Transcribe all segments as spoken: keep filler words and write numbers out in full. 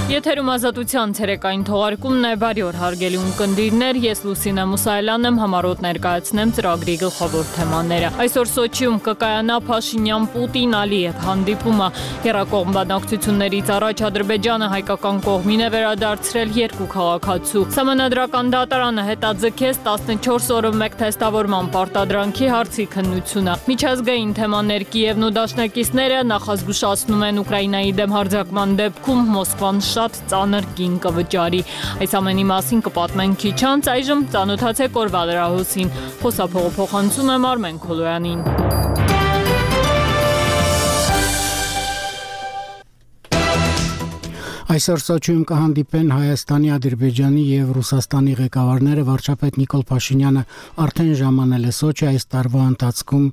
Եթերում ազատության ցերեկային թողարկումն է, բարի օր հարգելի ունկնդիրներ, ես Լուսինե Մուսայելյանն եմ, համառոտ ներկայացնեմ ծրագրի գլխավոր թեմաները։ Այսօր Սոչիում կկայանա Փաշինյան-Պուտին-Ալիև հանդիպումը, եռակողմ բանակցություններից առաջ Ադրբեջանը հայկական կողմին է վերադարձրել երկու քաղաքացու։ Սահմանադրական դատարանը հետաձգեց տասնչորս օրը մեկ թեստավորման պարտադրանքի հարցի քննությունը։ Միջազգային թեմաներ Կիևն ու դաշնակիցները նախազգուշացնում են Ուկրաինայի դեմ հարձակման դեպքում Մոսկվան շատ ծանր կին կվճարի։ Այս ամենի մասին կպատմենք քիչ անց, այժմ ծանոթացեք օրվա լրահոսին։ Խոսափողը փոխանցում եմ Արմեն Քոլոյանին։ Այսօր Սոչիում կհանդիպեն Հայաստանի, Ադրբեջանի եւ Ռուսաստանի ղեկավարները, վարչապետ Նիկոլ Փաշինյանը արդեն ժամանել է Սոչի, այս տարվա ընթացքում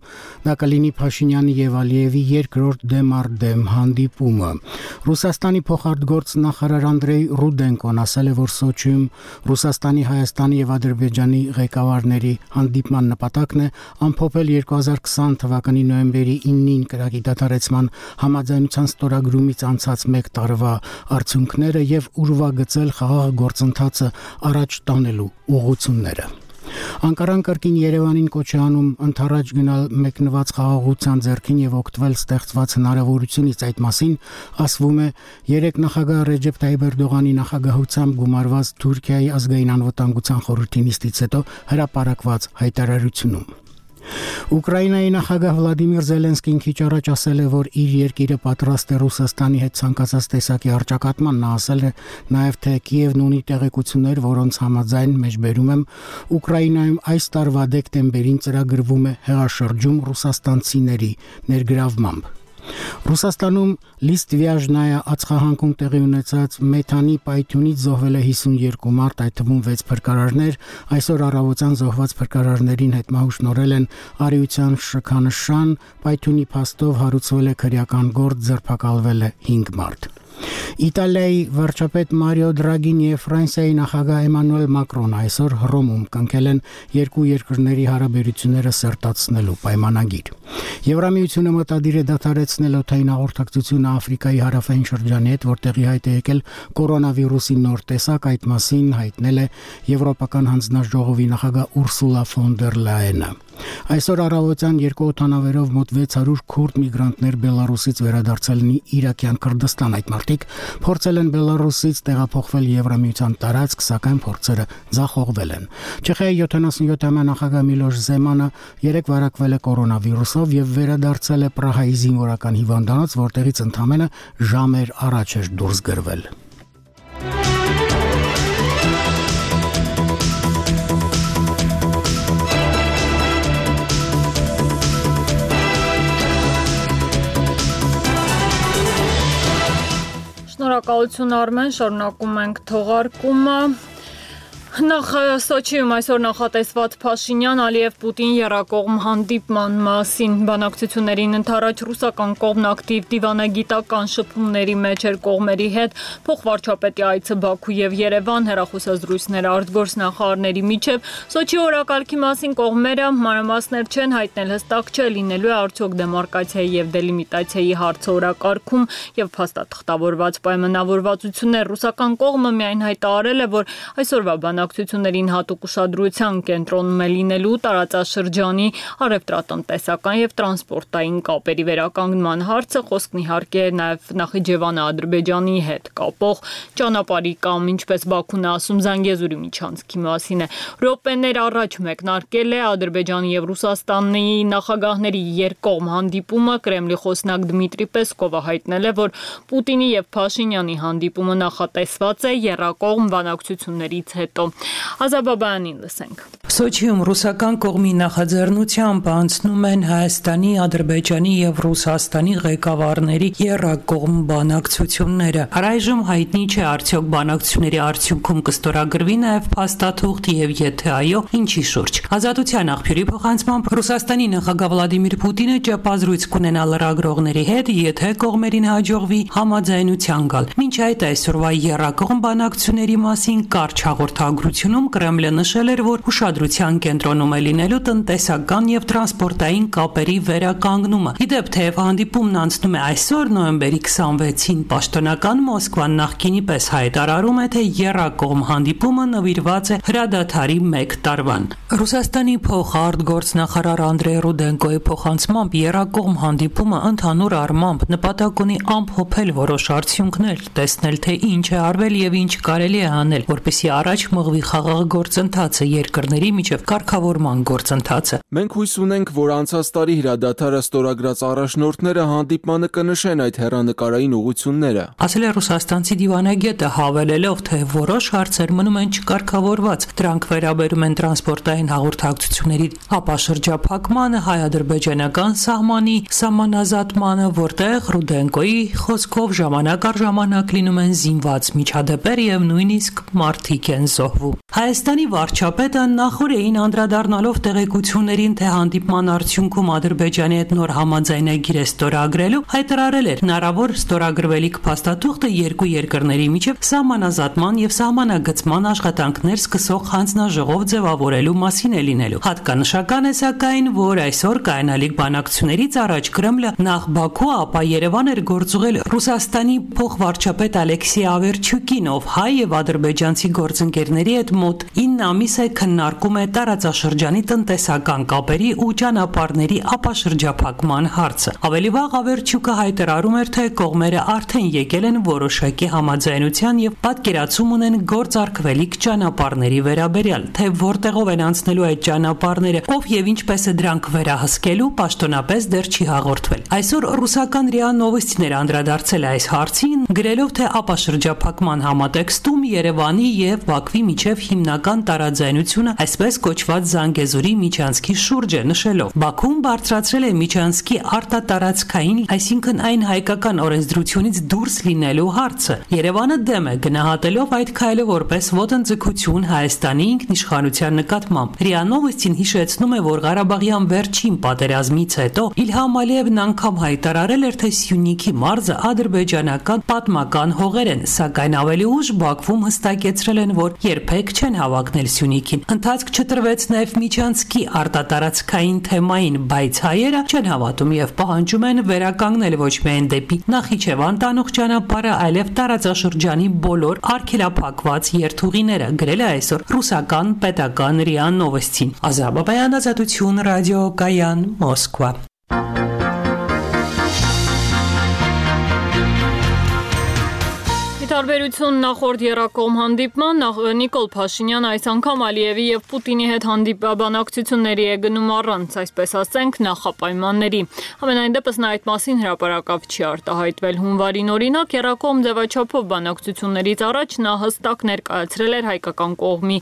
դա կլինի Փաշինյանի եւ Ալիևի երկրորդ դեմ առ դեմ հանդիպումը։ Ռուսաստանի փոխարտգործ նախարար Անդրեյ Ռուդենկոն ասել է, որ Սոչիում Ռուսաստանի, Հայաստանի եւ Ադրբեջանի ղեկավարների հանդիպման նպատակն է ամփոփել երկու հազար քսան թվականի նոյեմբերի իննին կրակի դադարեցման համաձայնության ստորագրումից անցած մեկ տարվա արդյունքները եւ ուրվագծել խաղաղ գործընթացը առաջ տանելու ուղղությունները։ Անկարան կրկին Երևանին կոչ է անում ընդառաջ գնալ մեկնված խաղաղության ձեռքին եւ օգտվել ստեղծված հնարավորությունից, այդ մասին ասվում է երեք նախագահ Ռեջեփ Թայիփ Էրդողանի նախագահությամբ գումարված Թուրքիայի ազգային անվտանգության խորհրդի նիստից հետո հրապարակված հայտարարությունում։ Ուկրաինայի նախագահ Վլադիմիր Զելենսկին քիչ առաջ ասել է, որ իր երկիրը պատրաստ է Ռուսաստանի հետ ցանկացած տեսակի առճակատման։ Նա ասել է նաև, թե Կիևն ունի տեղեկություններ, որոնց համաձայն մեջբերում եմ Ուկրաինայում այս տարվա դեկտեմբերին ծրագրվում է հեղաշրջում ռուսաստանցիների ներգրավմամբ։ Ռուսաստանում Լիստվիաժնայա ածխահանքում տեղի ունեցած մեթանի պայթյունից զոհվել է հիսունյոթ մարդ, այդ թվում վեց փրկարարներ։ Այսօր առավոտյան զոհված փրկարարներին հետմահու շնորհել են արիության շքանշան, պայթյունի փաստով հարուցվել է քրեական գործ, ձերբակալվել է հինգ մարդ։ Իտալիայի վարչապետ Մարիո Դրագին եւ Ֆրանսիայի նախագահ Էմանուել Մակրոնը այսօր Հռոմում կնքել են երկու երկրների հարաբերությունները սերտացնելու պայմանագիր։ Եվրամիությունը մտադիր է դադարեցնել օդային հաղորդակցությունը Աֆրիկայի հարավային շրջանի հետ, որտեղի հայտ է եկել կորոնավիրուսի նոր տեսակ, այդ մասին հայտնել է Եվրոպական հանձնաժողովի նախագահ Ուրսուլա ֆոն դեր Լայենը։ Այսօր առավոտյան երկու օդանավերով մոտ վեց հարյուր քուրդ միգրանտներ Բելարուսից վերադարձել են Իրաքյան Քրդստան։ Այդ մարդիկ փորձել են Բելարուսից տեղափոխվել Եվրամիության տարածք, սակայն փորձերը ձախողվել են։ Չեխիայի յոթանասունյոթամյա նախագահ Միլոշ Զեմանը երեք վարակվել է կորոնավիրուսով եւ վերադարձել է Պրահայի զինվորական հիվանդանոց, որտեղից ընդամենը ժամեր առաջ էր դուրս գրվել։ Շնորհակալություն Արմեն, շարունակում ենք թողարկումը։ Նախ Սոչիում այսօր նախատեսված Փաշինյան-Ալիև-Պուտին եռակողմ հանդիպման մասին բանակցություններին ընդառաջ ռուսական կողմն ակտիվ դիվանագիտական շփումների մեջ էր կողմերի հետ, փոխվարչապետի այցը Բաքու եւ Երևան, հեռախոսազրույցներ արտգործնախարարների միջև։ Սոչի օրակարգի մասին կողմերը մանրամասներ չեն հայտնել, հստակ չէ լինելու է արդյոք դեմարկացիայի եւ դելիմիտացիայի հարցը օրակարգում եւ փաստաթղթավորված պայմանավորվածություններ։ Ռուսական կողմը միայն հայտարարել է, որ այսօրվա բանակցություններին հատուկ ուշադրության կենտրոնում է լինելու տարածաշրջանի առևտրատնտեսական եւ տրանսպորտային կապերի վերականգնման հարցը, խոսքն իհարկե նաեւ Նախիջևանը Ադրբեջանի հետ կապող ճանապարհի կամ, ինչպես Բաքուն է ասում, Զանգեզուրի միջանցքի մասին է։ Րոպեներ առաջ մեկնարկել է Ադրբեջանի եւ Ռուսաստանի նախագահների երկկողմ հանդիպումը։ Կրեմլի խոսնակ Դմիտրի Պեսկովը հայտնել է, որ Պուտինի եւ Փաշինյանի հանդիպումը նախատեսված է եռակողմ բանակցություններից հետո։ Ազաբաբյանին լսենք։ Սոչիում ռուսական կողմի նախաձեռնությամբ անցնում են Հայաստանի, Ադրբեջանի եւ Ռուսաստանի ղեկավարների եռակողմ բանակցությունները։ Առայժմ հայտնի չէ արդյոք բանակցությունների արդյունքում կստորագրվի նաեւ փաստաթուղթ եւ եթե այո, ինչի շուրջ։ Ազատության աղբյուրի փոխանցմամբ Ռուսաստանի նախագահ Վլադիմիր Պուտինը ճապազրույց կունենա լրագրողների հետ, եթե կողմերին հաջողվի համաձայնության գալ։ Մինչ այդ այսօրվա եռակողմ բանակցությունների մասին կարճ հաղորդագրություն ստորագրությունում Կրեմլը նշել էր, որ ուշադրության կենտրոնում է լինելու տնտեսական եւ տրանսպորտային կապերի վերականգնումը։ Իդեպ, թեև հանդիպումն անցնում է այսօր նոյեմբերի քսանվեցին, պաշտոնական Մոսկվան նախկինի պես հայտարարում է, թե եռակողմ հանդիպումը նվիրված է հրադադարի մեկ տարվան։ Ռուսաստանի փոխարտգործնախարար Անդրեյ Ռուդենկոյի փոխանցմամբ եռակողմ հանդիպումը ընդհանուր առմամբ նպատակ ունի ամփոփել որոշ արդյունքներ, տեսնել, թե ինչ է արվել եւ ինչ կարելի է անել, որպեսզի առաջ մղվի խաղաղ գործընթացը, երկրների միջև կարգավորման գործընթացը։ Մենք հույս ունենք, որ անցած տարի հրադադարը ստորագրած առաջնորդները հանդիպմանը կնշեն այդ հեռանկարային ուղղությունները։ Ասել է ռուսաստանցի դիվանագետը, հավելելով, թե որոշ հարցեր մնում են չկարգավորված։ Դրանք վերաբերում են տրանսպորտային հաղորդակցությունների ապաշրջափակմանը, հայ-ադրբեջանական սահմանի սահմանազատմանը, որտեղ Ռուդենկոյի խոսքով ժամանակ առ ժամանակ լինում են զինված միջադեպեր եւ նույնիսկ մարդիկ են զոհվում։ Հայաստանի վարչապետը նախորդին անդրադառնալով տեղեկություններին, թե հանդիպման արդյունքում Ադրբեջանի հետ նոր համաձայնագիր է ստորագրելու, հայտարարել էր հնարավոր ստորագրվելիք փաստաթուղթը երկու երկրների միջև սահմանազատման եւ սահմանագծման աշխատանքներ սկսող հանձնաժողով ձևավորելու մասին է լինելու։ Հատկանշական է սակայն, որ այսօր կայանալիք բանակցություններից առաջ Կրեմլը նախ Բաքու, ապա Երևան էր գործուղել Ռուսաստանի փոխվարչապետ Ալեքսեյ Ավերչուկին, ով հայ եւ ադրբեջանցի գործընկերների հետ մոտ ինը ամիս է քննարկում է տարածաշրջանի տնտեսական կապերի ու ճանապարհների ապաշրջափակման հարցը։ Ավելի վաղ Ավերչուկը հայտարարում էր, թե կողմերը արդեն եկել են որոշակի համաձայնության եւ պատկերացում ունեն գործարկվելիք ճանապարհների վերաբերյալ, թե որտեղով են անցնելու այդ ճանապարհները, ով եւ ինչպես է դրանք վերահսկելու, պաշտոնապես դեռ չի հաղորդվել։ Այսօր ռուսական ՌԻԱ Նովոստիներ անդրադարձել է այս հարցին, գրելով, թե ապաշրջափակման համատեքստում Երևանի եւ Բաքվի միջև հիմնական տարաձայնությունը այսպես կոչված Զանգեզուրի միջանցքի շուրջ է, նշելով. Բաքուն բարձրացրել է միջանցքի արտատարածքային, այսինքն այն հայկական օրենսդրությունից դուրս լինելու հարցը։ Երևանը դեմ է, գնահատելով այդ քայլը որպես ոտնձգություն Հայաստանի ինքնիշխանության նկատմամբ։ ՌԻԱ Նովոստին հիշեցնում է, որ Ղարաբաղյան վերջին պատերազմից հետո Իլհամ Ալիևն անգամ հայտարարել էր, թե Սյունիքի մարզը ադրբեջանական պատմական հողեր են, սակայն ավելի ուշ Բաքվում հստակեցրել են, որ երբեք չեն հավակնել Սյունիքին։ Ընթացք չտրվեց նաև միջանցքի արտատարածքային թեմային, բայց հայերը չեն հավատում եւ պահանջում են վերականգնել ոչ միայն դեպի Նախիջևան տանող ճանապարհը, այլև տարածաշրջանի բոլոր արգելափակված երթուղիները, գրել է այսօր ռուսական պետական ՌԻԱ Նովոստին։ Ազատ Բաբայան, Ազատություն, ռադիո Կայան, Մոսկվա։ Տարբերություն նախորդ եռակողմ հանդիպման, Նիկոլ Փաշինյանը այս անգամ Ալիևի եւ Պուտինի հետ հանդիպաբանակցությունների է գնում առանց, այսպես ասենք, նախապայմանների։ Համենայն դեպս նա այդ մասին հրապարակավ չի արտահայտվել։ Հունվարին օրինակ եռակողմ ձևաչափով բանակցություններից առաջ նա հստակ ներկայացրել էր հայկական կողմի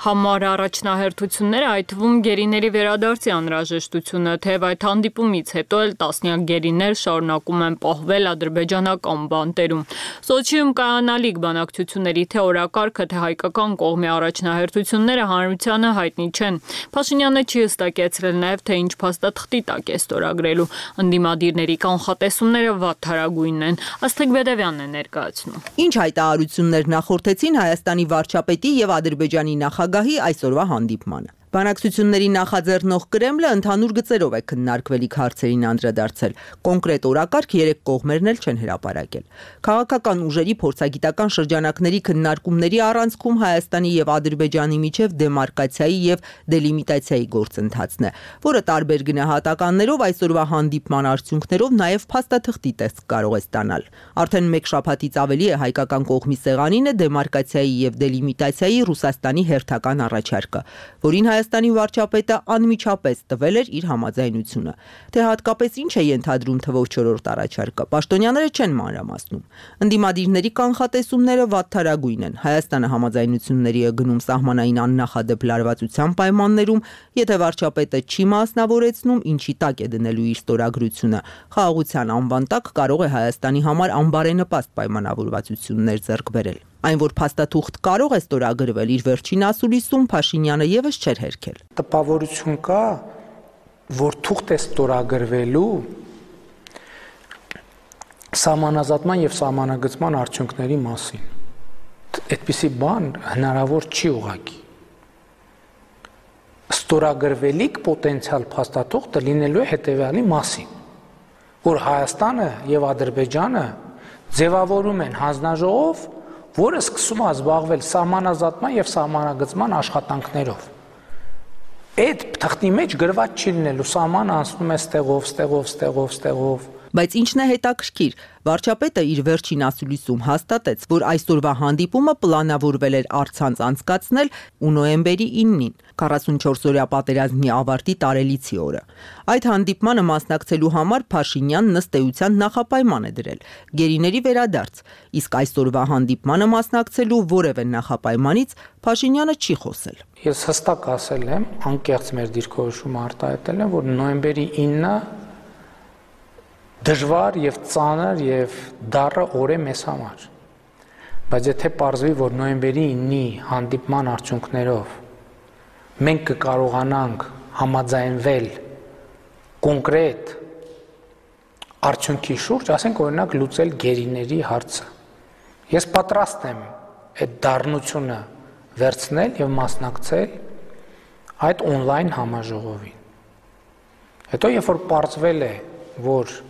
համար առաջնահերթությունները, այդ թվում գերիների վերադարձի անհրաժեշտությունը, թեև այդ հանդիպումից հետո էլ տասնյակ գերիներ շարունակում են պահվել ադրբեջանական բանտերում։ Սոչիում Կանալիք բանակցությունների թե օրակարգը, թե հայկական կողմի առաջնահերթությունները հանրությանը հայտնի չեն։ Փաշինյանը չի հստակեցրել նաև, թե ինչ փաստաթղթի տակ է ստորագրելու։ Ընդդիմադիրների կանխատեսումները վատթարագույնն են։ Աստղիկ Բեդևյանն է ներկայացնում։ Ինչ հայտարարություններ նախորդեցին Հայաստանի վարչապետի եւ Ադրբեջանի նախագահի այսօրվա հանդիպմանը։ Բանակցությունների նախաձեռնող Կրեմլը ընդհանուր գծերով է քննարկվելիք հարցերին անդրադարձել։ Կոնկրետ օրակարգ երեք կողմերն էլ չեն հրապարակել։ Քաղաքական ուժերի փորձագիտական շրջանակների քննարկումների առանցքում Հայաստանի եւ Ադրբեջանի միջև դեմարկացիայի եւ դելիմիտացիայի գործընթացն է, որը տարբեր գնահատականներով այսօրվա հանդիպման արդյունքներով նաեւ փաստաթղթի տեսք կարող է ստանալ։ Արդեն մեկ շաբաթից ավելի է հայկական կողմի սեղանին է դեմարկացիայի եւ դելիմիտացիայի Ռուսաստանի հերթական առաջարկը, որին Հայաստանի վարչապետը անմիջապես տվել էր իր համաձայնությունը։ Թե հատկապես ինչ է ենթադրում թվով չորրորդ առաջարկը, պաշտոնյաները չեն մանրամասնում։ Ընդդիմադիրների կանխատեսումները վատթարագույն են։ Հայաստանը համաձայնությունների է գնում սահմանային աննախադեպ լարվածության պայմաններում, եթե վարչապետը չի մասնավորեցնում, ինչի տակ է դնելու իր ստորագրությունը։ Խաղաղության անվան տակ կարող է Հայաստանի համար անբարենպաստ պայմանավորվածություններ ձեռք բերել։ Այն, որ փաստաթուղթ կարող է ստորագրվել իր վերջին ասուլիսում, Փաշինյանը եւս չէր հերքել։ Տպավորություն կա, որ թուղթ է ստորագրվելու սահմանազատման եւ սահմանագծման արդյունքների մասին։ այդպիսի բան հնարավոր չի ուղղակի։ Ստորագրվելիք պոտենցիալ փաստաթուղթը լինելու է հետևյալի մասին, որ Հայաստանը եւ Ադրբեջանը ձևավորում են հանձնաժողով, որը սկսում է զբաղվել սահմանազատման եւ սահմանագծման աշխատանքներով։ Այդ թղթի մեջ գրված չի լինելու սահմանը անցնում է ստեղով, ստեղով, ստեղով, ստեղով։ Բայց ինչն է հետաքրքիր, վարչապետը իր վերջին ասուլիսում հաստատեց, որ այսօրվա հանդիպումը պլանավորվել էր առցանց անցկացնել ու նոյեմբերի իննին, քառասունչորս-օրյա պատերազմի ավարտի տարելիցի օրը։ Այդ հանդիպմանը մասնակցելու համար Փաշինյանն ըստ էության նախապայման է դրել՝ գերիների վերադարձ, իսկ այսօրվա հանդիպմանը մասնակցելու որևէ նախապայմանից Փաշինյանը չի խոսել։ Ես հստակ ասել եմ, անկեղծ մեր դիրքորոշումը արտահայտել եմ, որ նոյեմբերի ինը դժվար եւ ծանր եւ դառը օր է մեզ համար, բայց եթե պարզվի, որ նոյեմբերի ինի հանդիպման արդյունքներով մենք կկարողանանք համաձայնվել կոնկրետ արդյունքի շուրջ, ասենք օրինակ լուծել գերիների հարցը, ես պատրաստ եմ այդ դառնությունը վերցնել եւ մասնակցել այդ on-line համաժողովին։ Հետո երբ որ պարզվել է, որ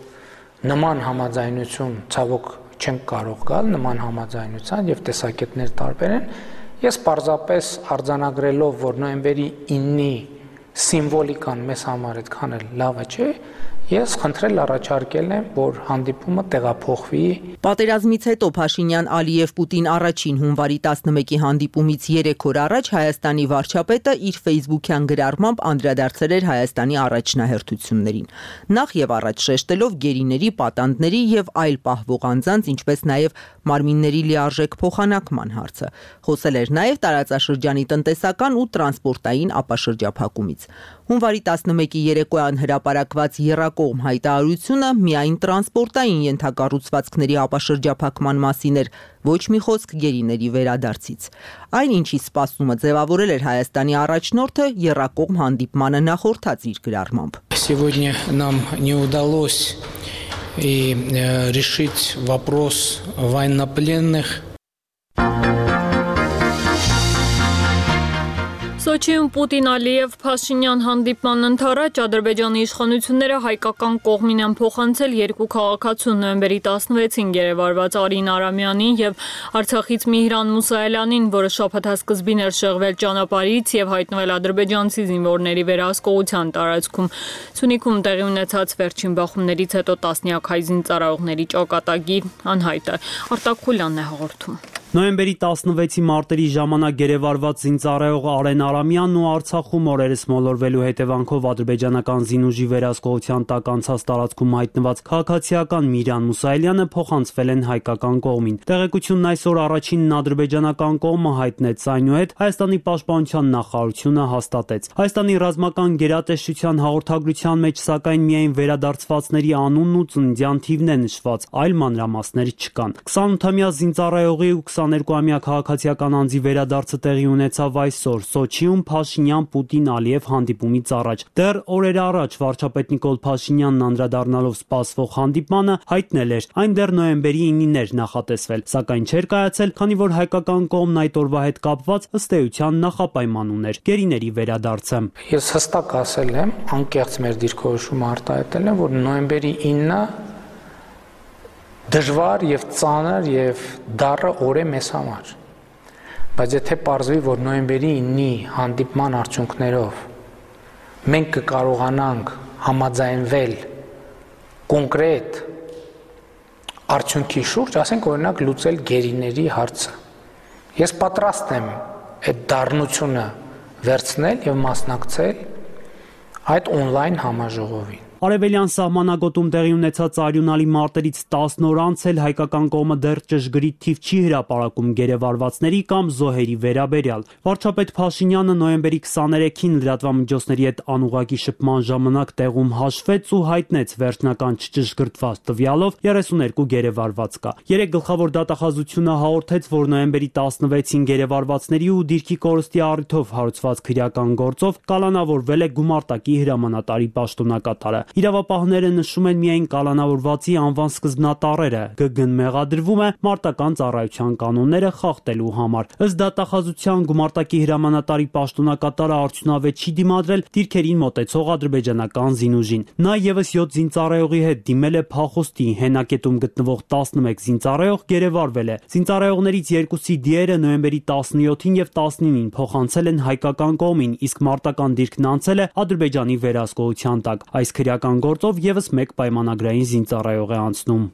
նման համաձայնություն ցավոք չենք կարող գալ, նման համաձայնության եւ տեսակետներ տարբեր են, ես պարզապես արձանագրելով, որ նոյեմբերի ինի սիմվոլիկան մեզ համար այդքան էլ լավը չէ, ես խնդրել առաջարկել եմ, որ հանդիպումը տեղափոխվի։ Պատերազմից հետո Փաշինյան-Ալիև-Պուտին առաջին հունվարի տասնմեկի հանդիպումից երեք օր առաջ Հայաստանի վարչապետը իր ֆեյսբուքյան գրառմամբ անդրադարձել էր Հայաստանի առաջնահերթություններին, նախ եւ առաջ շեշտելով գերիների, պատանդների եւ այլ պահվող անձանց, ինչպես նաեւ մարմինների լիարժեք փոխանակման հարցը։ Խոսել էր նաեւ տարածաշրջանի տնտեսական ու տրանսպորտային ապաշրջափակումից։ Հունվարի տասնմեկի երեկոյան հրապարակված եռակողմ հայտարարությունը միայն տրանսպորտային ենթակառուցվածքների ապաշրջափակման մասին էր, ոչ մի խոսք գերիների վերադարձից։ Այն, ինչի սպասումը ձևավորել էր Հայաստանի առաջնորդը, եռակողմ հանդիպմանը նախորդած իր գրառմամբ։ Сегодня нам не удалось и решить вопрос военнопленных. Սոչիում Պուտին-Ալիև Փաշինյան հանդիպման ընթരാճ Ադրբեջանի իշխանությունները հայկական կողմին են փոխանցել երկու քաղաքացու նոյեմբերի տասնվեցին գերեվարված Արին Արամյանին եւ Արցախից Միհրան Մուսայելյանին, որը շաբաթասկզբին էր շեղվել ճանապարհից եւ հայտնվել ադրբեջանցի զինվորների վերահսկողության տարածքում։ Սյունիքում տեղի ունեցած վերջին բախումներից հետո տասնյակ հայ զինծառայողների ճակատագի անհայտ է։ Արտակ Խուլյանն է հաղորդում։ Նոյեմբերի տասնվեցի մարտերի ժամանակ գերեվարված զինծառայող Արեն Արամյանն ու Արցախում օրերս մոլորվելու հետևանքով ադրբեջանական զինուժի վերահսկողության տակ անցած տարածքում հայտնված քաղաքացիական Միհրան Մուսայելյանը փոխանցվել են հայկական կողմին։ Տեղեկությունն այսօր առաջինն ադրբեջանական կողմը հայտնեց, այնուհետ Հայաստանի պաշտպանության նախարարությունը հաստատեց։ Հայաստանի ռազմական գերատեսչության հաղորդագրության մեջ սակայն միայն վերադարձվածների անունն ու ծննդյան թիվն է նշված, այլ մանրամասներ չկան։ քսանութամյա զինծառայողի ու քսաներկուամյա քաղաքացիական անձի վերադարձը տեղի ունեցավ այսօր Սոչիում Փաշինյան-Պուտին-Ալիև հանդիպումից առաջ։ Դեռ օրեր առաջ վարչապետ Նիկոլ Փաշինյանն անդրադառնալով սպասվող հանդիպմանը հայտնել էր, այն դեռ նոյեմբերի ինին էր նախատեսվել, սակայն չէր կայացել, քանի որ հայկական կողմն այդ օրվա հետ կապված ըստ էության նախապայման ուներ՝ գերիների վերադարձը։ Ես հստակ ասել եմ, անկեղծ մեր դիրքորոշումը արտահայտել եմ, որ նոյեմբերի ինը դժվար եւ ծանր եւ դառը օր է մեզ համար, բայց եթե պարզվի, որ նոյեմբերի ինի հանդիպման արդյունքներով մենք կկարողանանք համաձայնվել կոնկրետ արդյունքի շուրջ, ասենք օրինակ լուծել գերիների հարցը, ես պատրաստ եմ այդ դառնությունը վերցնել եւ մասնակցել այդ on-line համաժողովին։ Արևելյան սահմանագոտում տեղի ունեցած արյունալի մարտերից տասն օր անց էլ հայկական կողմը դեռ ճշգրիտ թիվ չի հրապարակում գերեվարվածների կամ զոհերի վերաբերյալ։ Վարչապետ Փաշինյանը նոյեմբերի քսաներեքին լրատվամիջոցների հետ անուղղակի շփման ժամանակ տեղում հաշվեց ու հայտնեց վերջնական չճշգրտված տվյալով երեսուներկու գերեվարված կա։ Երեք գլխավոր դատախազությունը հաղորդեց, որ նոյեմբերի տասնվեցին գերեվարվածների ու դիրքի կորստի առիթով հարուցված քրեական գործով կալանավորվել է գումարտակի հրամանատարի պաշտոնակատարը։ Իրավապահները նշում են միայն կալանավորվածի անվան սկզբնատառերը, գգն մեղադրվում է մարտական ծառայության կանոնները խախտելու համար։ Ըստ դատախազության գումարտակի հրամանատարի պաշտոնակատարը արդյունավետ չի դիմադրել դիրքերին մոտեցող ադրբեջանական զինուժին։ Նա եւս յոթ զինծառայողի հետ դիմել է փախուստի, հենակետում գտնվող տասնմեկ զինծառայող գերեվարվել է։ Զինծառայողներից երկուսի դիերը նոյեմբերի տասնյոթին եւ տասնինին փոխանցել են հայկական կողմին, իսկ մարտական դիրքն անցել է Ադրբեջանի վերահսկողության տակ։ Այս քրեական գործով եւս մեկ պայմանագրային զինծառայող է անցնում։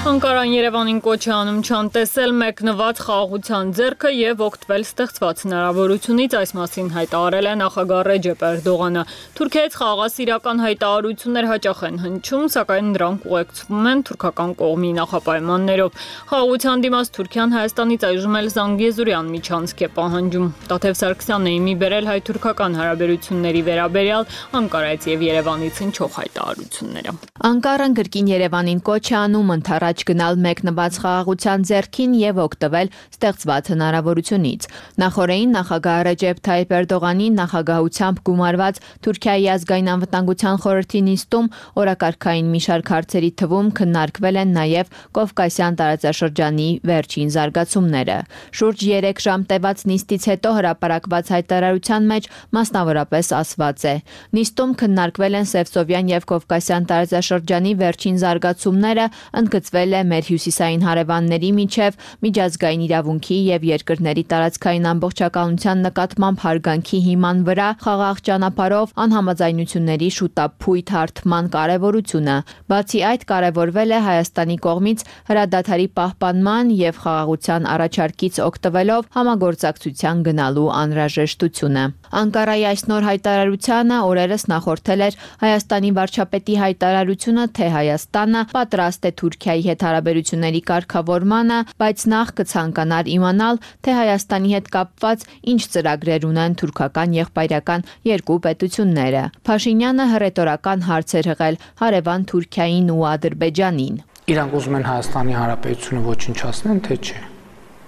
Անկարան Երևանին կոչ է անում չանտեսել մեկնված խաղաղության ձեռքը եւ օգտվել ստեղծված հնարավորությունից, այս մասին հայտարարել է նախագահ Ռեջեփ Էրդողանը։ Թուրքիայից խաղաղասիրական հայտարարություններ հաճախ են հնչում, սակայն դրանք ուղեկցվում են թուրքական կողմի նախապայմաններով։ Խաղաղության դիմաց Թուրքիան Հայաստանից այժմ էլ Զանգեզուրյան միջանցք է պահանջում։ Տաթև Սարգսյանն է իմի բերել հայ-թուրքական հարաբերությունների վերաբերյալ Անկարայից եւ Երևանից հնչող հայտարարությունները։ Անկարան գրքին Երևանին կոչ է անում ընդառաջ գնալ մեկնված խաղաղության ձեռքին եւ օգտվել ստեղծված հնարավորությունից։ Նախորդին նախագահ Ռեջեփ Թայիփ Էրդողանի նախագահությամբ գումարված Թուրքիայի ազգային անվտանգության խորհրդի նիստում օրակարգային մի շարք հարցերի թվում քննարկվել են նաեւ Կովկասյան տարածաշրջանի վերջին զարգացումները։ Շուրջ երեք ժամ տևած նիստից հետո հրապարակված հայտարարության մեջ մասնավորապես ասված է. Նիստում քննարկվել են Սևսովյան եւ Կովկասյան տարածաշրջանի վերջին զարգացումները, ընդգծվել է մեր հյուսիսային հարևանների միջև միջազգային իրավունքի եւ երկրների տարածքային ամբողջականության նկատմամբ հարգանքի հիման վրա խաղաղ ճանապարհով անհամաձայնությունների շուտափույթ հարթման կարեւորությունը։ Բացի այդ, կարևորվել է Հայաստանի կողմից հրադադարի պահպանման եւ խաղաղության առաջարկից օգտվելով համագործակցության գնալու անհրաժեշտությունը։ Անկարայի այս նոր հայտարարությանը օրերս նախորդել էր Հայաստանի վարչապետի հայտարարությունը, թե Հայաստանը պատրաստ է Թուրքիայի հետ հարաբերությունների կարգավորմանը, բայց նախ կցանկանար իմանալ, թե Հայաստանի հետ կապված ինչ ծրագրեր ունեն թուրքական եղբայրական երկու պետությունները։ Փաշինյանը հռետորական հարց էր հղել հարևան Թուրքիային ու Ադրբեջանին։ Իրանք ուզում են Հայաստանի Հանրապետությունը ոչնչացնեն, թե չէ։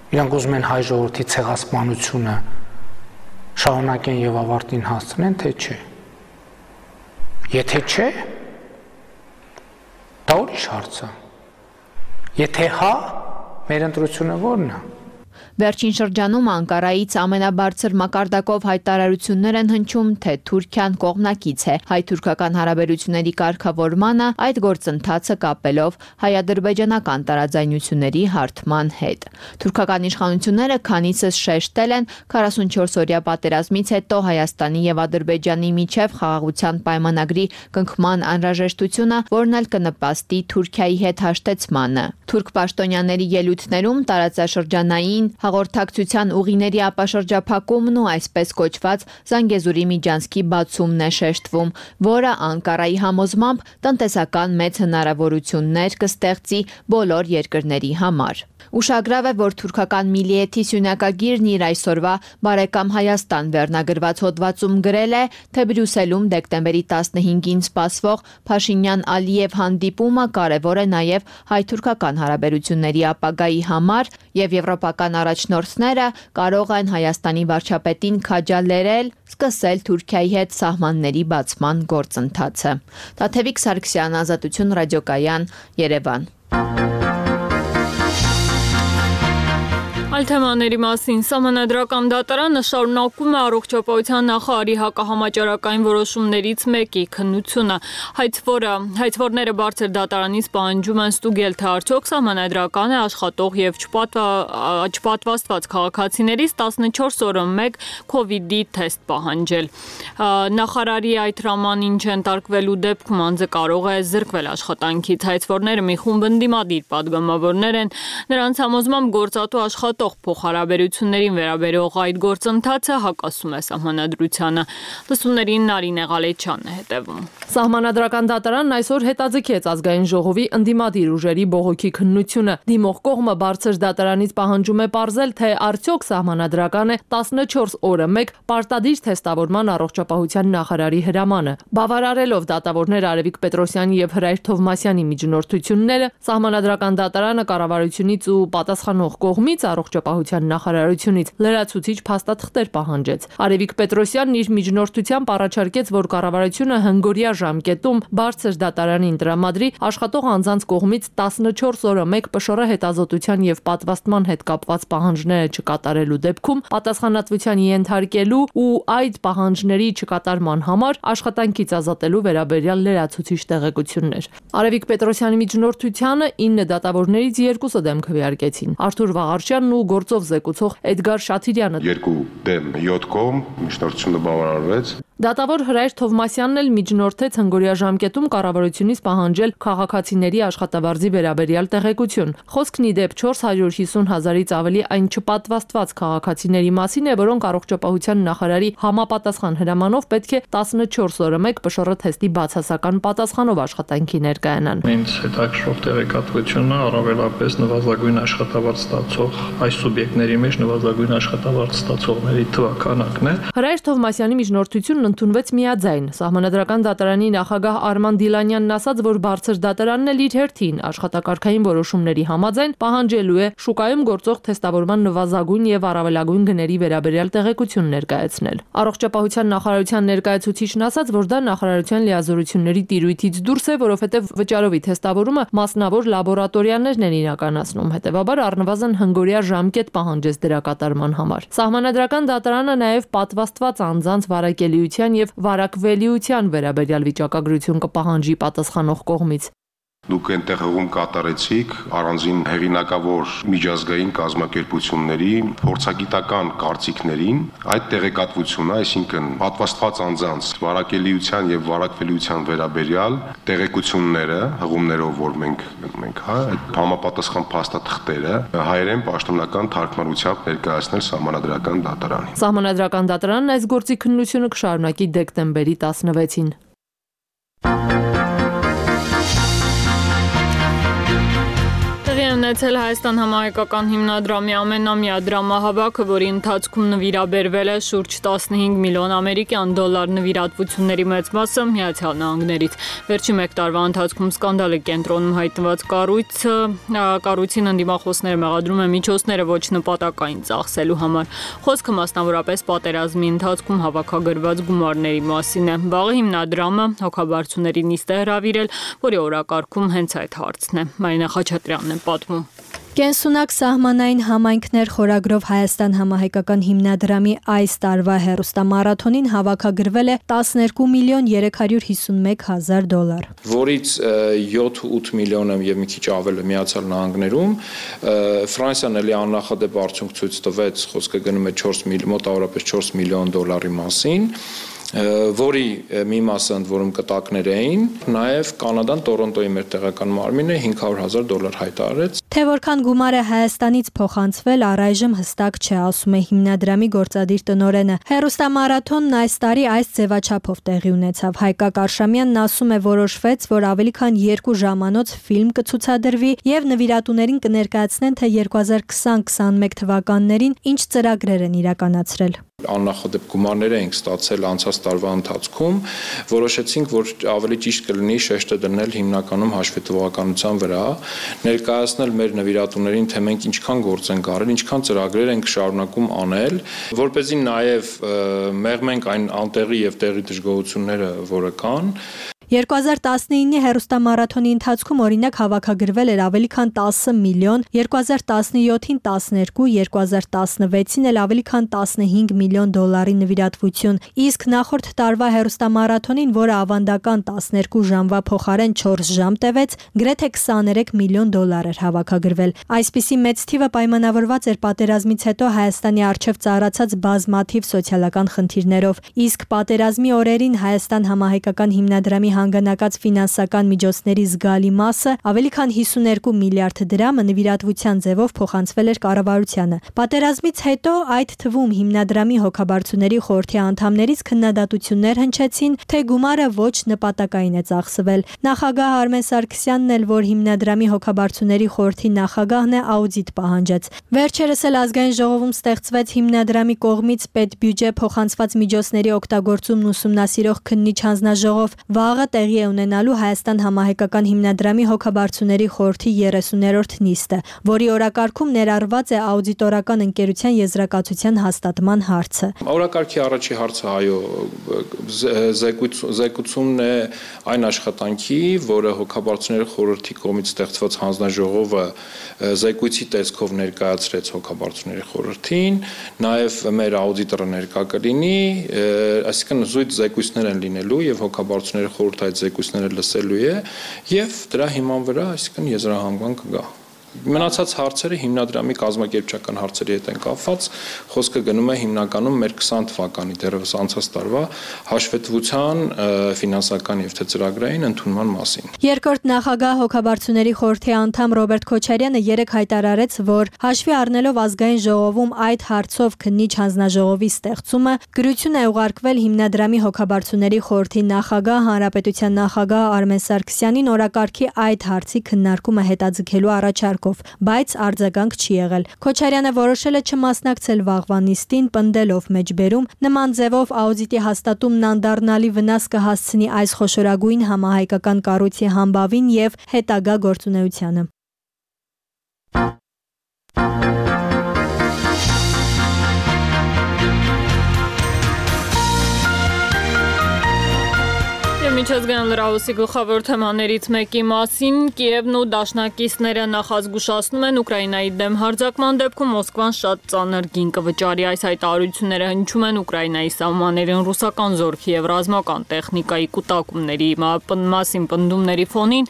Իրանք ուզում են հայ ժողովրդի ցեղասպանությունը շարունակեն եւ ավարտին հասցնեն, թե չէ։ Եթե չէ, դա ուրիշ հարց է։ Եթե հա, մեր ընտրությունը ո՞րն է։ Վերջին շրջանում Անկարայից ամենաբարձր մակարդակով հայտարարություններ են հնչում, թե Թուրքիան կողմնակից է հայ-թուրքական հարաբերությունների կարգավորմանը, այդ գործընթացը կապելով հայ-ադրբեջանական տարաձայնությունների հարթման հետ։ Թուրքական իշխանությունները քանիցս շեշտել են քառասունչորս-օրյա պատերազմից հետո Հայաստանի եւ Ադրբեջանի միջև խաղաղության պայմանագրի կնքման անհրաժեշտությունը, որն էլ կնպաստի Թուրքիայի հետ հաշտեցմանը։ Թուրք պաշտոնյաների ելույթներում տարածաշրջանային հաղորդակցության ուղիների ապաշրջափակումն ու այսպես կոչված Զանգեզուրի միջանցքի բացումն է շեշտվում, որը Անկարայի համոզմամբ տնտեսական մեծ հնարավորություններ կստեղծի բոլոր երկրների համար։ Ուշագրավ է, որ թուրքական Միլիեթի սյունակագիրն իր այսօրվա «Բարեկամ Հայաստան» վերնագրված հոդվածում գրել է, թե Բրյուսելում դեկտեմբերի տասնհինգին սպասվող Փաշինյան-Ալիև հանդիպումը կարևոր է նաև հայ-թուրքական հարաբերությունների ապագայի համար եւ եվրոպական առաջնորդները կարող են Հայաստանի վարչապետին քաջալերել սկսել Թուրքիայի հետ սահմանների բացման գործընթացը։ Տաթևիկ Սարգսյան, Ազատություն ռադիոկայան, Երևան։ Այլ թեմաների մասին Սահմանադրական դատարանը շարունակում է առողջապահության նախարարի հակահամաճարակային որոշումներից մեկի քննությունը։ Հայցվորը հայցվորները բարձր դատարանից պահանջում են ստուգել, թե արդյոք սահմանադրական է աշխատող եւ չպատվաստված քաղաքացիներից տասնչորս օրը մեկ քովիդի թեստ պահանջել։ Նախարարի այդ հրամանին չընտարկվելու դեպքում անձը կարող է զրկվել աշխատանքից։ Հայցվորները մի խումբ ընդդիմադիր падգամավորներ են, նրանց համոզմամբ գործատու աշխատող փոխհարաբերություններին վերաբերող այդ գործընթացը հակասում է սահմանադրությանը։ Լսումներին Նարինե Ղալեչյանն է հետևում։ Սահմանադրական դատարանն այսօր հետաձգեց ազգային ժողովի ընդդիմադիր ուժերի բողոքի քննությունը։ Դիմող կողմը բարձր դատարանից պահանջում է պարզել, թե արդյոք սահմանադրական է տասնչորս օրը մեկ պարտադիր թեստավորման առողջապահության նախարարի հրամանը։ Բավարարելով դատավորներ Արևիկ Պետրոսյանի եւ Հրայր Թովմասյանի միջնորդությունները, սահմանադրական դատարանը կառավարությունից ու պատասխանող կողմից առողջ առողջապահության նախարարությունից, լրացուցիչ փաստաթղթեր պահանջեց։ Արևիկ Պետրոսյանն իր միջնորդությամբ առաջարկեց, որ կառավարությունը հնգօրյա ժամկետում բարձր դատարանին տրամադրի աշխատող անձանց կողմից տասնչորս օրը մեկ ՊՇՌ հետազոտության եւ պատվաստման հետ կապված պահանջները չկատարելու դեպքում պատասխանատվության ենթարկելու ու այդ պահանջների չկատարման համար աշխատանքից ազատելու վերաբերյալ լրացուցիչ տեղեկություններ։ Արևիկ Պետրոսյանի միջնորդությանը ինը դատավորներից երկուսը դեմ քվեարկեցին։ Արթուր Վաղարշյանն ու գործով զեկուցող Էդգար Շաթիրյանը։ Երկու դեմ յոթ կողմ միջնորդությունը բավարարվեց։ Դատավոր Հրայր Թովմասյանն էլ միջնորդեց հնգօրյա ժամկետում կառավարությունից պահանջել քաղաքացիների աշխատավարձի վերաբերյալ տեղեկություն։ Խոսքն ի դեպ չորս հարյուր հիսուն հազարից ավելի այն չպատվաստված քաղաքացիների մասին է, որոնք առողջապահության նախարարի համապատասխան հրամանով պետք է տասնչորս օրը մեկ ՊՇՌ թեստի բացասական պատասխանով աշխատանքի ներկայանան։ Ինձ հետաքրքրող տեղեկատվությունը առավելապես նվազագույն աշխատավարձ ստացող այս սուբյեկտների մեջ նվազագույն աշխատավարձ ստացողների թվականակն է։ Հրայր Թովմասյանի միջնորդությունն ընդունվեց միաձայն։ Սահմանադրական դատարանի նախագահ Արման Դիլանյանն ասաց, որ բարձր դատարանն էլ իր հերթին աշխատակարգային որոշումների համաձայն պահանջելու է շուկայում գործող թեստավորման նվազագույն եւ առավելագույն գների վերաբերյալ տեղեկություն ներկայացնել։ Առողջապահության նախարարության ներկայացուցիչն ասաց, որ դա նախարարության լիազորությունների տիրույթից դուրս է, որովհետեւ վճարովի թեստավորումը մասնավոր լաբորատորիաներն են իրականացնում, հետեւաբար առնվազն հնգօրյա ժամկետ պահանջեց դրա կատարման համար։ Սահմանադրական դատարանը նաեւ պատվաստված անձանց վարակելիության եւ վարակվելիության վերաբերյալ վիճակագրություն կպահանջի պատասխանող կողմից։ Դուք այնտեղ հողում կատարեցիք առանձին հեղինակավոր միջազգային կազմակերպությունների փորձագիտական կարծիքներին այդ տեղեկատվությունը, այսինքն պատվաստված անձանց վարակելիության եւ վարակվելիության վերաբերյալ տեղեկությունները, հղումներով, որ մենք մենք հա այդ համապատասխան փաստաթղթերը հայերեն պաշտոնական թարգմանությամբ ներկայացնել Սահմանադրական դատարանին։ Սահմանադրական դատարանն այս գործի քննությունը կշարունակի դեկտեմբերի տասնվեցին։ Ունեցել Հայաստան համահայկական հիմնադրամի ամենամյա դրամահավաքը, որի ընթացքում նվիրաբերվել է շուրջ տասնհինգ միլիոն ամերիկյան դոլար նվիրատվությունների մեծ մասը Միացյալ Նահանգներից։ Վերջին մեկ տարվա ընթացքում սկանդալի կենտրոնում հայտնված կառույցը կառույցին ընդդիմախոսները մեղադրում են միջոցները ոչ նպատակային ծախսելու համար։ Խոսքը մասնավորապես պատերազմի ընթացքում հավաքագրված գումարների մասին է։ Վաղը հիմնադրամը հոգաբարձուների նիստ է հրավիրել, որի օրակարգում հենց այդ հարցն է։ Մարինա Խաչատրյանն է պատմում։ Կենսունակ սահմանային համայնքներ խորագրով Հայաստան համահայկական հիմնադրամի այս տարվա հեռուստամարաթոնին հավաքագրվել է տասներկու միլիոն երեք հարյուր հիսունմեկ հազար դոլար, որից յոթ-ութ միլիոնը եւ մի քիչ ավելը Միացյալ Նահանգներում, Ֆրանսիան էլի աննախադեպ արդյունք ցույց տվեց, խոսքը գնում է չորս միլիոն, մոտավորապես չորս միլիոն դոլարի մասին, որի մի մասը ընդ որում կտակներ էին, նաև Կանադան Տորոնտոյի մեր տեղական մարմինը հինգ հարյուր հազար դոլար հայտարարեց։ Թե որքան գումար է Հայաստանից փոխանցվել, առայժմ հստակ չէ, ասում է հիմնադրամի գործադիր տնօրենը։ Հեռուստամարաթոնն այս տարի այս ձևաչափով տեղի ունեցավ։ Հայկակ Արշամյանն ասում է, որոշվեց, որ ավելի քան երկու ժամանոց ֆիլմ կցուցադրվի եւ նվիրատուներին կներկայացնեն, թե երկու հազար քսան քսանմեկ թվականներին ինչ ծրագրեր են իրականացրել։ Աննախադեպ գումարներ ենք ստացել անցած տարվա ընթացքում, որոշեցինք, որ ավելի ճիշտ կլինի շեշտը դնել հիմնականում հաշվետվողականության վրա, ներկայացնել մեր նվիրատուներին, թե մենք ինչքան գործ ենք արել, ինչքան ծրագրեր ենք շարունակում անել, որպեսզի նաև մեղմենք այն անտեղի եւ տեղի դժգոհությունները, որը կան։ երկու հազար տասնինի հեռուստամարաթոնի ընթացքում օրինակ հավաքագրվել էր ավելի քան տասը միլիոն, երկու հազար տասնյոթին տասներկու, երկու հազար տասնվեցին էլ ավելի քան տասնհինգ միլիոն դոլարի նվիրատվություն, իսկ նախորդ տարվա հեռուստամարաթոնին, որը ավանդական տասներկու ժամվա փոխարեն չորս ժամ տևեց, գրեթե քսաներեք միլիոն դոլար էր հավաքագրվել։ Այսպիսի մեծ թիվը պայմանավորված էր պատերազմից հետո Հայաստանի առջև ծառացած բազմաթիվ սոցիալական խնդիրներով, իսկ պատերազմի օրերին Հայաստան համահայկական հիմնադրամի հանգանակած ֆինանսական միջոցների զգալի մասը, ավելի քան հիսուներկու միլիարդ դրամը նվիրատվության ձևով փոխանցվել էր կառավարությանը։ Պատերազմից հետո այդ թվում հիմնադրամի հոգաբարձուների խորհրդի անդամներից քննադատություններ հնչեցին, թե գումարը ոչ նպատակային է ծախսվել։ Նախագահ Արմեն Սարգսյանն էլ, որ հիմնադրամի հոգաբարձուների խորհրդի նախագահն է, աուդիտ պահանջեց։ Վերջերս էլ ազգային ժողովում ստեղծվեց հիմնադրամի կողմից պետբյուջե փոխանցված միջոցների օգտագործումն ուսումնասիրող քննիչ հանձնաժողով։ Վաղը տեղի է ունենալու Հայաստան համահայկական հիմնադրամի հոգաբարձուների խորհրդի երեսուներորդ նիստը, որի օրակարգում ներառված է աուդիտորական ընկերության եզրակացության հաստատման հարցը։ Օրակարգի առաջի հարցը այո զեկուցումն է այն աշխատանքի, որը հոգաբարձուների խորհրդի կողմից ստեղծված հանձնաժողովը զեկույցի տեսքով ներկայացրեց հոգաբարձուների խորհրդին, նաև մեր աուդիտորը ներկա կլինի, այսինքն զույգ զեկույցներ են լինելու եւ հոգաբարձուների խորհուրդ այդ զեկույցները լսելու է եւ դրա հիման վրա այսինքն եզրահանգման կգա։ Մնացած հարցերը հիմնադրամի կազմակերպչական հարցերի հետ են կապված, խոսքը գնում է հիմնականում մեր քսան թվականի դեռևս անցած տարվա հաշվետվության ֆինանսական եւ թե ծրագրային ընդունման մասին։ Երկրորդ նախագահ հոգաբարձուների խորհրդի անդամ Ռոբերտ Քոչարյանը երեկ հայտարարեց, որ հաշվի առնելով ազգային ժողովում այդ հարցով քննիչ հանձնաժողովի ստեղծումը, գրություն է ուղարկվել հիմնադրամի հոգաբարձուների խորհրդի նախագահ հանրապետության նախագահ Արմեն Սարգսյանին օրակարգի այդ հարցի քննարկումը հետաձգելու առաջարկ, բայց արձագանք չի եղել։ Քոչարյանը որոշել է չմասնակցել վաղվա նիստին, պնդելով մեջբերում նման ձևով աուդիտի հաստատումն անդառնալի վնաս կհասցնի այս խոշորագույն համահայկական կառույցի համբավին եւ հետագա գործունեությանը։ Միջազգային լրահոսի գլխավոր թեմաներից մեկի մասին Կիևն ու դաշնակիցները նախազգուշացնում են Ուկրաինայի դեմ հարձակման դեպքում Մոսկվան շատ ծանր գին կվճարի։ Այս հայտարարությունները հնչում են Ուկրաինայի սահմաններին ռուսական զորքի եւ ռազմական տեխնիկայի կուտակումների մասին պնդումների ֆոնին։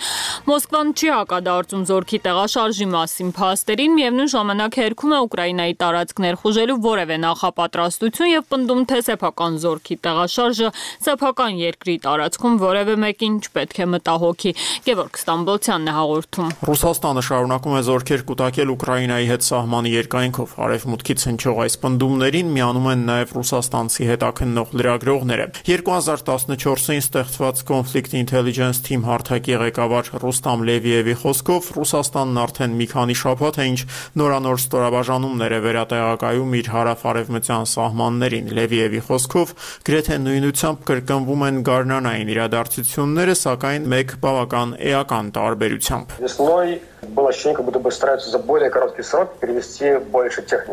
Մոսկվան չի հակադարձում զորքի տեղաշարժի մասին փաստերին, միևնույն ժամանակ հերքում է Ուկրաինայի տարածքներ խուժելու որևէ նախապատրաստություն եւ պնդում, թե սեփական զորքի տեղաշարժը սեփական երկրի տարածքում որևէ մեկին չպետք է մտահոգի։ Գևորգ Ստամբոլցյանն է հաղորդում։ Ռուսաստանը շարունակում է զորքեր կուտակել Ուկրաինայի հետ սահմանի երկայնքով։ Արևմուտքից հնչող այս պնդումներին միանում են նաև ռուսաստանցի հետաքննող լրագրողները։ երկու հազար տասնչորսին ստեղծված Conflict Intelligence Team հարթակի ղեկավար Ռուստամ Լևիևի խոսքով Ռուսաստանն արդեն մի քանի շաբաթ է ինչ նորանոր ստորաբաժանումներ է վերատեղակայում իր հարավ-արևմտյան սահմաններին։ Լևիևի խոսքով գրեթե նույնությամբ կրկնվում են գարնանային իրադարձությունները, սակայն մեկ բավական էական տարբերությամբ։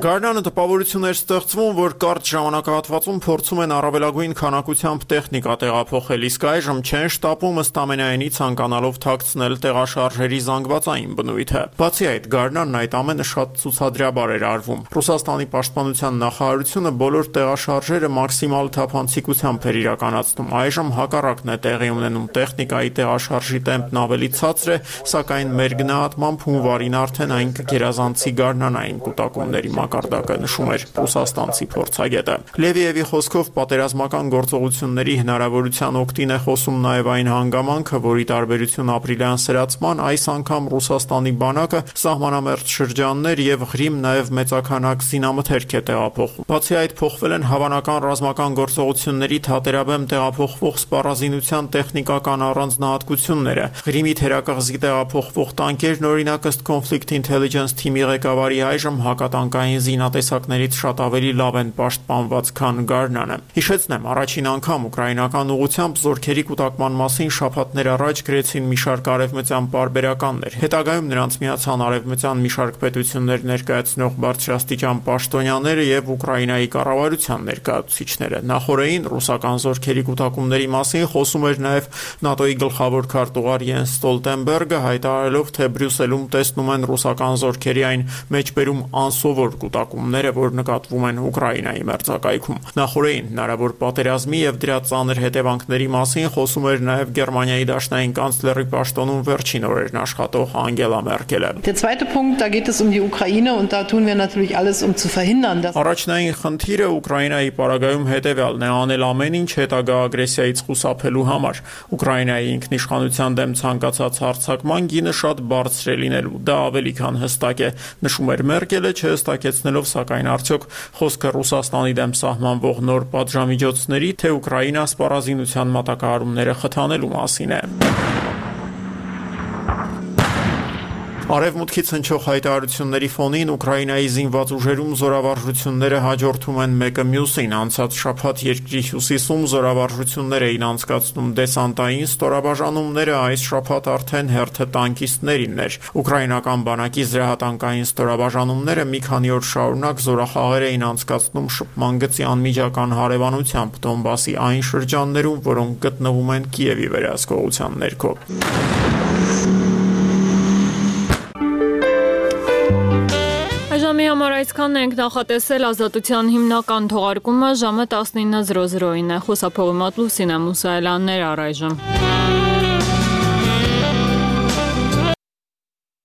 Գարնանը տպավորություն էր ստեղծվում, որ կարճ ժամանակահատվածում փորձում են առավելագույն քանակությամբ տեխնիկա տեղափոխել, իսկ այժմ չեն շտապում ըստ ամենայնի ցանկանալով թաքցնել տեղաշարժերի զանգվածային բնույթը։ Բացի այդ, գարնանն այդ ամենը շատ ցուցադրաբար էր արվում։ Ռուսաստանի պաշտպանության նախարարությունը բոլոր տեղաշարժերը մաքսիմալ թափանցիկությամբ էր իրականացնում։ Այժմ հակառակն է տեղի ունենում, տեխնիկայի տեղաշարժի տեմպն ավելի ցածր է, սակայն մեր գնահատմամբ հունվարին արդեն այն կգերազանցի գարնանային կուտակումների մակարդակը, նշում էր ռուսաստանցի փորձագետը։ Լևիևի խոսքով պատերազմական գործողությունների հնարավորության օգտին է խոսում նաև այն հանգամանքը, որի տարբերություն ապրիլյան սրացման այս անգամ Ռուսաստանի բանակը սահմանամերձ շրջաններ եւ Ղրիմ նաև մեծաքանակ զինամթերք է տեղափոխում։ Բացի այդ, փոխվել են հավանական ռազմական գործողությունների թատերաբեմ տեղափոխվող սպառազինության տեխնիկական առանձնահատկությունները։ Ղրիմի թերակղզի տեղափոխվող տանկերն օրինակ ըստ Conflict Intelligence Team-ի ղեկավարի այժմ հակատանկային զինատեսակներից շատ ավելի լավ են պաշտպանված, քան գարնանը։ Հիշեցնեմ, առաջին անգամ ուկրաինական ուղղությամբ զորքերի կուտակման մասին շաբաթներ առաջ գրեցին մի շարք արևմտյան պարբերականներ։ Հետագայում նրանց միացան արևմտյան մի շարք պետություններ ներկայացնող բարձրաստիճան պաշտոնյաները եւ Ուկրաինայի կառավարության ներկայացուցիչները։ Նախորդին ռուսական զորքերի կուտակումների մասին խոսում էր նաև ՆԱՏՕ-ի գլխավոր քարտուղար Յենս Ստոլտենբերգը, հայտարարելով, թե Բրյուսելում տեսնում են ռուսական զորքերի այն մեջբերում անսովոր կուտակումները, որ նկատվում են Ուկրաինայի մերձակայքում։ Նախորդին հնարավոր պատերազմի եւ դրա ծանր հետևանքների մասին խոսում էր նաև Գերմանիայի դաշնային կանցլերի պաշտոնում վերջին օրերն աշխատող Անգելա Մերկելը։ Der zweite Punkt, da geht es um die Ukraine und da tun wir natürlich alles um zu verhindern, dass Առաջնային խնդիրը Ուկրաինայի պարագայում հետևյալն է՝ անել ամեն ինչ հետագա ագրեսիայից խուսափելու համար։ Ուկրաինայի ինքնիշխանության դեմ ցանկացած հարձակման գինը շատ բարձր է լինելու։ Դա ավելի քան հստակ է, նշում էր Մերկելը, չհստակեցնելով սակայն արդյոք խոսքը Ռուսաստանի դեմ սահմանվող նոր պատժամիջոցների, թե Ուկրաինա սպառազինության մատակարարումները խթանելու մասին է։ Արևմուտքից հնչող հայտարարությունների ֆոնին Ուկրաինայի զինված ուժերում զորավարժությունները հաջորդում են մեկը մյուսին։ Անցած շաբաթ երկրի հյուսիսում զորավարժություններ էին անցկացնում դեսանտային ստորաբաժանումները, այս շաբաթ արդեն հերթը տանկիստներին էր։ Ուկրաինական բանակի զրահատանկային ստորաբաժանումները մի քանի օր շարունակ զորախաղեր էին անցկացնում շփման գծի անմիջական հարևանությամբ Դոնբասի այն շրջաններում, որոնք գտնվում են Կիևի վերահսկողության ներքո։ Ժամի համար այսքանն ենք, նախատեսել ազատության հիմնական թողարկումը ժամը տասնինը զրո զրոին է։ Խոսափողի մոտ Լուսինե Մուսայելյաններ առայժմ։